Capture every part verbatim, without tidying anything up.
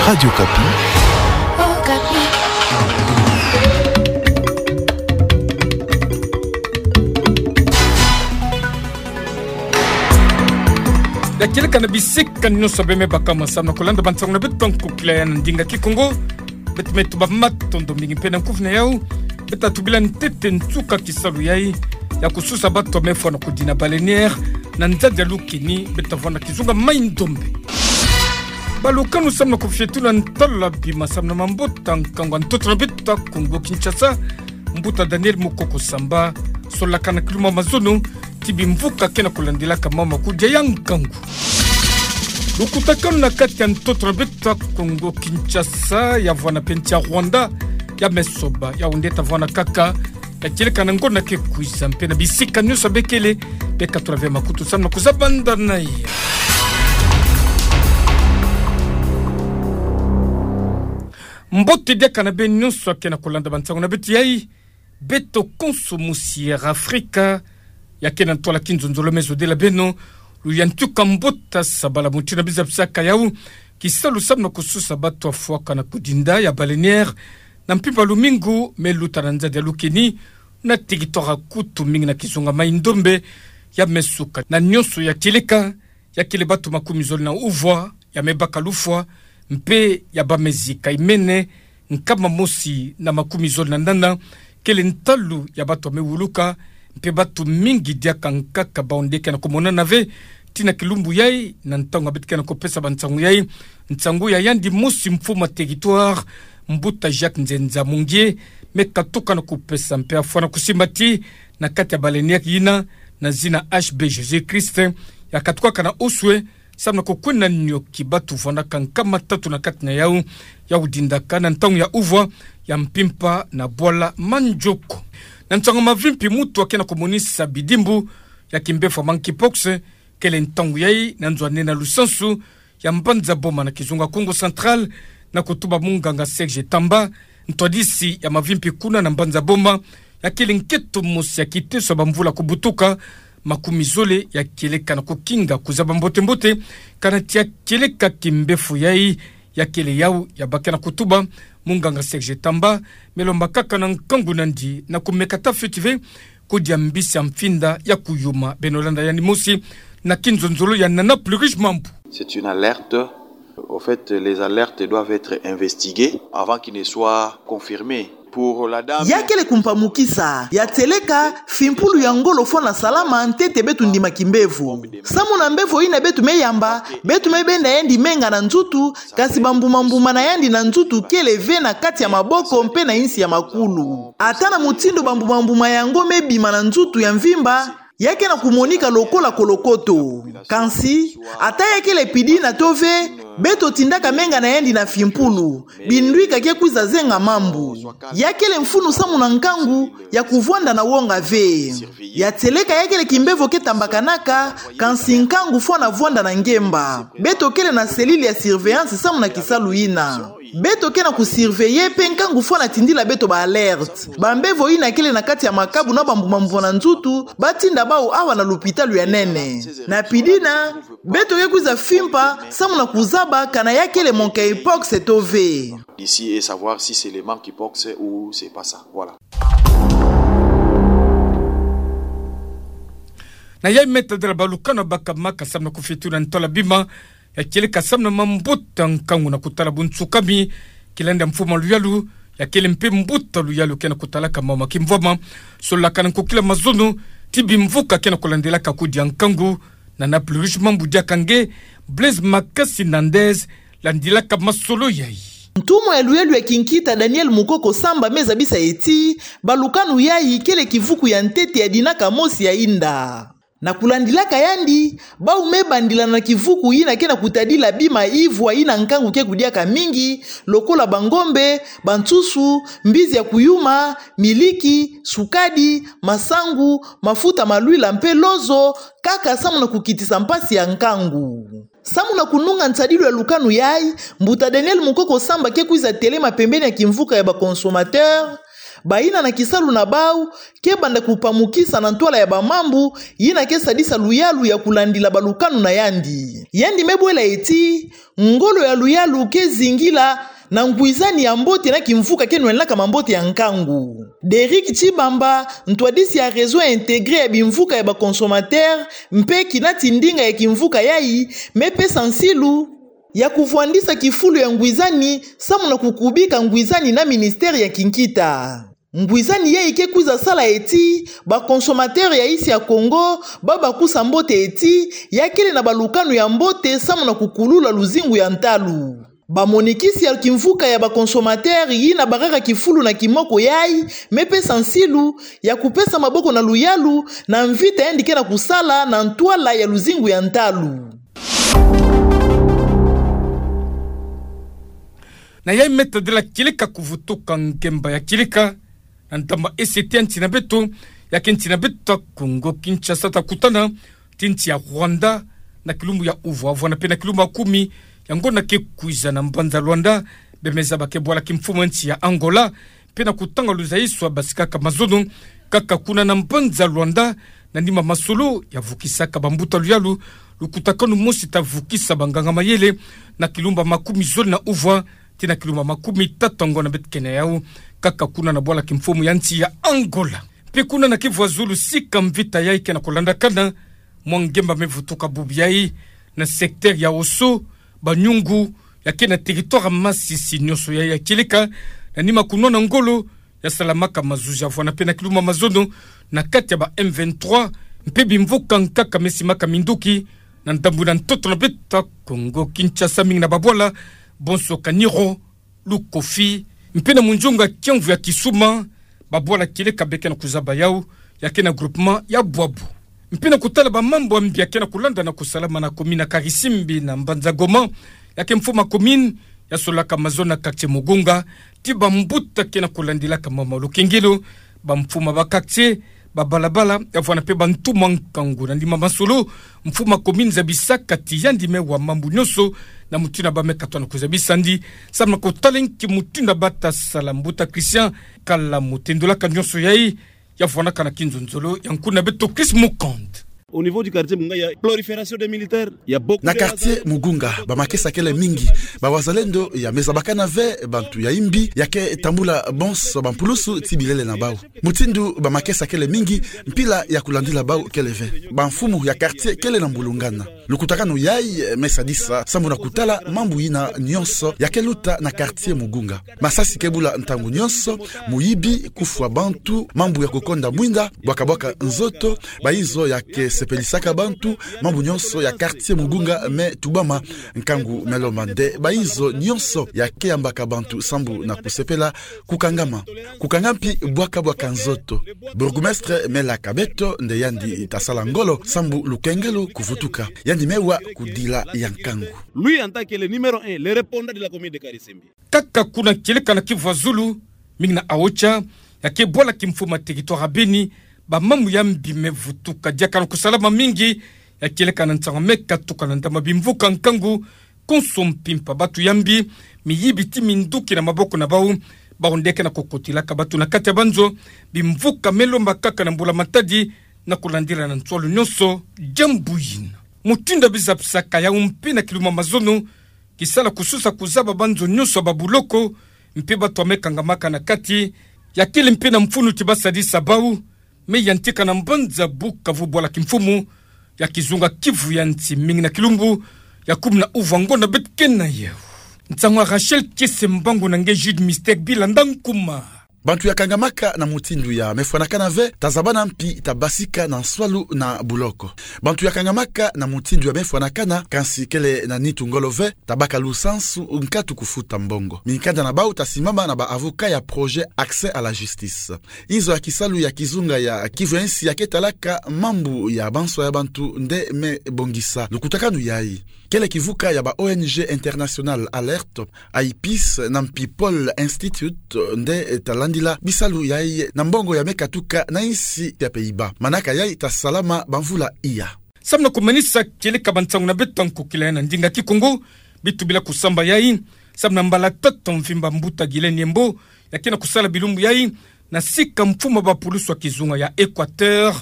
Radio Okapi. Ya kieleka na bisika nyonso bê me baka ma samu na kulanda bansangu na beto nkokila ya na ndinga Kikongo. Beto me tuba matondo mingi mpe na nkufi na yau. Beto tubila ntete nsuka kisalu yayi ya kususa bato me fwa na kudina baleinière na nzadi ya Lukeni, beto tavwanda kizunga mai ndombe. Balukanu, samu na kufietula ntala bima samu na mambota nkangu ya ntoto na beto ya Kongo Kinshasa, mbuta Daniel Mukoko Samba solaka na kiluma mazono ti bimvuka ke na kulandilaka mama kudia ya nkangu. Lukutakanu na kati ya ntoto na beto ya Kongo Kinshasa ya vwanda mpe nsi ya Rwanda ya me soba, yau nde tavwanda kaka ya kieleka na ngonda ke kwiza mpe na bisika nyonso bê kele, bê katula ve makutu samu na kuzabanda na ya. Mbote diaka na bê nyonso ya ke na kulanda bansangu na beto yayi. Beto konso mosi ya Afrika ya ke na ntwala kinzonzolo me zodela beno luyalu ntuka mbuta Sabala Mutindu na biza bisaka yau kisalu samu na kususa bato ya fwaka na kudinda ya baleinière na mpimpa lumingu me luta na nzadi ya Lukeni, na territoire kutu mingi na kizunga mai ndombe ya me suka. Na nyonso ya kieleka, ya kele bato makumi zole na uvwa ya me baka lufwa, mpe ya ba me zika imene nkama mosi na makumi zole na nana kele ntalu ya bato ya me wuluka, mpe bato mingi diaka nkaka bau nde ke na kumonana ve tii na kilumbu yayi. Na ntangu ya beto ke na kupesa bansangu yayi, nsangu ya yandi mosi mfumu ya territoire, mbuta Jacques Nzenza Mungie, me katuka na kupesa mpe ya fwa na kusimba ti na kati ya baleinière yina, na zina H B Jésus-Christ, ya katukaka na Oswe, samu na kukwenda nioki bato vwandaka nkama tatu na kati na yau, yau dindaka na ntangu ya uvwa ya mpimpa na bwala Manjoko. Na nsangu ya mavimpi, muntu ya ke na kumonisa bidimbu ya kimbefo ya monkeypox kele ntangu yayi na nzo ya nene ya lusansu ya Mbanza Boma na kizunga Kongo Central, na kutuba munganga Serge Tamba, ntwadisi ya mavimpi kuna na Mbanza Boma, ya kele nketo mosi ya kiteso ya bamvula kubutuka makumi zole ya kieleka na kukinga kuzaba mbote-mbote kana ti ya kieleka kimbefo yayi ya kele yau ya ba ke na kutuba munganga Serge Tamba. Me lomba kaka na nkangu na yandi na kumeka ta fioti ve kudia mbisi ya mfinda ya kuyuma. Beno landa yandi mosi na kinzonzolo ya Nana Plurish Mambu. C'est une alerte. Au fait, les alertes doivent être investiguées avant qu'il ne soit confirmé. Pour la dame... Ya kele kumpamukisa, ya tieleka, fimpulu ya ngolo fwana salama ntete beto ndima kimbevo. Samu na mbevo yina beto me yamba, beto me benda yandi menga na nzutu, kasi bambuma-mbuma na yandi na nzutu kele ve na kati ya maboko mpe na yinsi ya makulu. Ata na mutindu bambuma-mbuma yango me bima na nzutu ya mvimba, ya ke na kumonika lokola kolokoto. Kansi, ata ya kele pidina to ve, beto tindaka menga na yandi na fimpulu, bindwika ke kwiza zenga mambu. Ya kele mfunu samu na nkangu ya kuvwanda na wonga ve. Ya tieleka ya kele kimbevo ke tambakanaka, kansi nkangu fwana vwanda na ngemba. Beto kele na cellule ya surveillance samu na kisalu yina. Beto ke na kusurveiller mpe nkangu fwana tindila beto ba alerte. Bambevo yina kele na kati ya makabu na bambuma-mbuma na nzutu, ba tinda bau awa na lupitalu ya nene. Na pidina, beto ke kwiza fimpa samu na kuzaba kana ya kele monkeypox to ve. D'ici et savoir si c'est le monkeypox ou c'est pas ça. Voilà. Na yayi me tadila balukanu ya baka maka samu na kufiotula ntwala bima ya kieleka samu na mambota nkangu na kutala bunsukami, kilandi ya mfumu ya luyalu, ya kele mpe mbuta luyalu ke na kutalaka mama kimvwama, solaka na nkokila mazono ti bimvuka ke na kulandilaka kudia nkangu. Nana Plurish Mambu diaka nge, Blaise Makasi Nandez landilaka masolo yayi. Ntumwa ya luyalu ya kinkita Daniel Mukoko Samba me zabisa ye ti balukanu yayi kele kivuku ya ntete ya dinaka mosi ya yinda. Na kulandilaka yandi, bau me bandila na kivuku yina ke na kutadila bima ivwa yina nkangu ke kudiaka mingi, lokola bangombe, bansusu, mbizi ya kuyuma, miliki, sukadi, masangu, mafuta ma lwila mpe lozo, kaka samu na kukitisa mpasi ya nkangu. Samu na kununga nsadilu ya lukanu yayi, mbuta Daniel Mukoko Samba ke kwiza telema pembeni ya kimvuka ya ba consommateurs, Bayina na kisalu na bau ke banda kupamukisa na ntwala ya bamambu yina ke sadisa luyalu ya kulandila balukanu na yandi. Yandi me bwela eti, ngolo ya luyalu ke zingila na ngwizani ya mbote na kimvuka ke nwenlaka mambote ya nkangu. Derrick Tshibamba, ntwadisi ya Réseau Intégré ya Bimvuka ya ba Consommateurs, mpe kinati ndinga ya kimvuka yayi, me pesa nsilu ya kuvwandisa kifulu ya ngwizani, samu na kukubika ngwizani na ministère ya kinkita. Ngwizani yayi ke kwiza sala eti ba consommateurs ya insi ya Congo ba bakusa mbote eti ya kele na balukanu ya mbote samu na kukulula luzingu ya ntalu. Bamonikisi ya kimvuka ya ba consommateurs yina barara kifulu na kimoko yayi me pesa nsilu ya kupesa maboko na luyalu na mvita yandi ke na kusala na ntwala ya luzingu ya ntalu. Na yayi me tadila kieleka kuvutuka ngemba ya kieleka na ntama ese tia nti na beto, ya ke nti na beto ta Congo Kinshasa, ta kutana ti nti ya Rwanda na kilumbu ya uvwa, vwana mpe na kilumbu ya kumi ya ngonda ke kwiza na mbanza Luanda, bemeza ba ke bwala kimfumu nti ya Angola, mpe na kutanga luzayiso ya basikaka mazono, kaka kuna na mbanza Luanda, na nima masolo ya vukisaka bambuta luyalu, lukutakanu mosi ta vukisa banganga mayele, na kilumbu ya makumi zole na uvwa, tii na kilumbu ya makumi tatu ya ngonda beto ke na yawu, kaka kuna na bwala kimfumu ya nti ya Angola. Mpe kuna na Kivu ya zulu, sika mvita yayi ke na kulandakana, mwa ngemba me vutuka bubu yayi, na secteur ya Osso, Banyungu, ya ke na territoire ya Masisi, nionso yayi ya kieleka na nima kunwana ngolo ya salamaka mazuzi ya vwana mpe na kilumbu ya mazono na kati ya ba M vingt-trois, mpe bimvuka nkaka me simaka minduki na ndambu na ntoto na beto ta Congo Kinshasa, mingi na babwala bonso Kaniro, Lukofi, mpe na munzunga kiamvu ya Kisuma, babwala kieleka be ke na kuzaba yawu, ya ke na groupement ya Bwabu. Mpe na kutala bamambu ya mbi ya ke na kulanda na kusalama na commune ya Karisimbi na mbanza Goma, ya ke mfumu ya commune ya solaka mazono na quartier Mugunga, tii bambuta ke na kulandilaka mama lukengelo, bamfumu ya ba quartier, babalabala, ya vwana mpe bantu mwa nkangu. Na nima masolo, mfumu ya commune zabisaka ti yandi me wa mambu nionso, na mutindu ya ba me katwa na kuzabisa yandi, samu na kutala nki mutindu ya ba ta sala. Mbuta Christian Kala mu tendulaka nionso yayi, ya vwanaka na kinzonzolo ya nkuna beto Chris Mukand. Au niveau du quartier Mugunga, il y a prolifération des militaires, il y a beaucoup de quartier Mugunga, bamakesa kele mingi, bawazalendo ya me zabakana ve bantu ya imbi, ya ke tambula bonso bampulusu tii bilele na bawu. Mutindu bamakesa kele mingi, mpila ya kulandila bawu kele ve. Bamfumu ya quartier kele na mbulungana. Lukutakanu yayi me sadisa samu na kutala mambu yina nionso ya ke luta na quartier Mugunga. Masasi ke bula ntangu nionso, muyibi, kufwa bantu, mambu ya kukonda mwinda, bwakabwaka nzoto, bayizo ya ke sepelisaka bantu, mambu nionso ya quartier Mugunga me tubama. Nkangu me lomba nde bayizo nionso ya ke yambaka bantu sambu na kusepela kukangama. Kukanga mpi bwakabwaka nzoto. Bourgmestre me laka beto nde yandi ta sala ngolo sambu lukengelo kuvutuka. Yandi me wa kudila ya nkangu. Lui, en tant que le numéro un, le répondant de la commune de Karisimbi. Kaka kuna kieleka na Kivu ya zulu, mingi na Aocha, ya ke bwala kimfumu ya territoire ya Beni, bamambu ya mbi me vutuka diaka na kusalama mingi, ya kieleka na nsangu me katuka na ndama bimvuka nkangu, konso mpimpa batu ya mbi, miyibi tii minduki na maboko na bawu, bawu nde ke na kukotilaka batu na kati ya banzo, bimvuka me lomba kaka na mbula matadi, na kulandila na nswalu nionso, diambu yina. Mutindu ya bizapisaka yawu mpe na kilumbu ya mazono, kisala kususa kuzaba banzo nionso ya babuloko, mpe batu ya me kangamaka na kati, ya kele mpe na mfunu ti ba sadisa bawu, me yantika na mbanza Bukavu bwala kimfumu ya kizunga Kivu ya nsi, mingi na kilumbu ya kumi na uvwa ngonda beto ke na yawu. Nsangu ya Rachel Kiese Mbangu na nge Jude Mystère Bilanda Nkuma. Bantu ya kangamaka na mutindu ya me fwanakana ve, ta zabana mpi ta basika na nswalu na buloko. Bantu ya kangamaka na mutindu ya me fwanakana, kansi kele na nitu ngolo ve, ta baka lusansu nkatu kufuta mbongo. Minkanda na bawu ta simama na ba avocat ya projet Accès à la justice. Inzo ya kisalu ya kizunga ya Kivu ya nsi ya ke talaka mambu ya banswa ya bantu nde me bongisa lukutakanu yayi. Kele kivuka ya ba O N G international Alerte, IPIS na mpi Paul Institute nde ta landila bisalu yayi na mbongo ya me katuka na insi ya Pays-Bas. Manaka yayi ta salama bamvula iya. Samu na kumanisa kieleka bansangu na beto ta nkokila ya na ndinga Kikongo, bitu bila kusamba yayi, samu na mbala tatu mvimba mbuta Guylain Yembo ya ke na kusala bilumbu yayi, Na sika mfumu a bapulusu ya kizunga ya Equateur,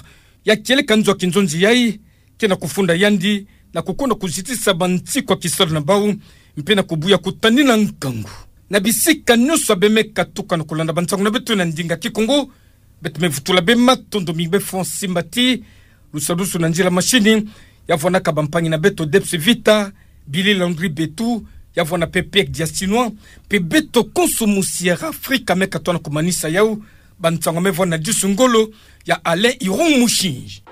ya kieleka nzo ya kinzonzi yayi, ke na kufunda yandi na kukonda kuzitisa bansiku ya kisalu na bau, mpe na kubuya kutanina nkangu na bisika nyonso ya bemeka tuka na kulanda bansangu na beto na ndinga Kikongo. Beto me vutula bematondo mi befo nsimbati, lusalusu na nzila mashini, ya vwanaka bampangi na beto Debs Vita, Billy Landry Betu, ya vwana mpe Pierre Diastinois, mpe beto konso mu Sierra Africa me katoa na kumanisa yau, bansangu me vwana disu ngolo, ya Alain Irung Mushinji.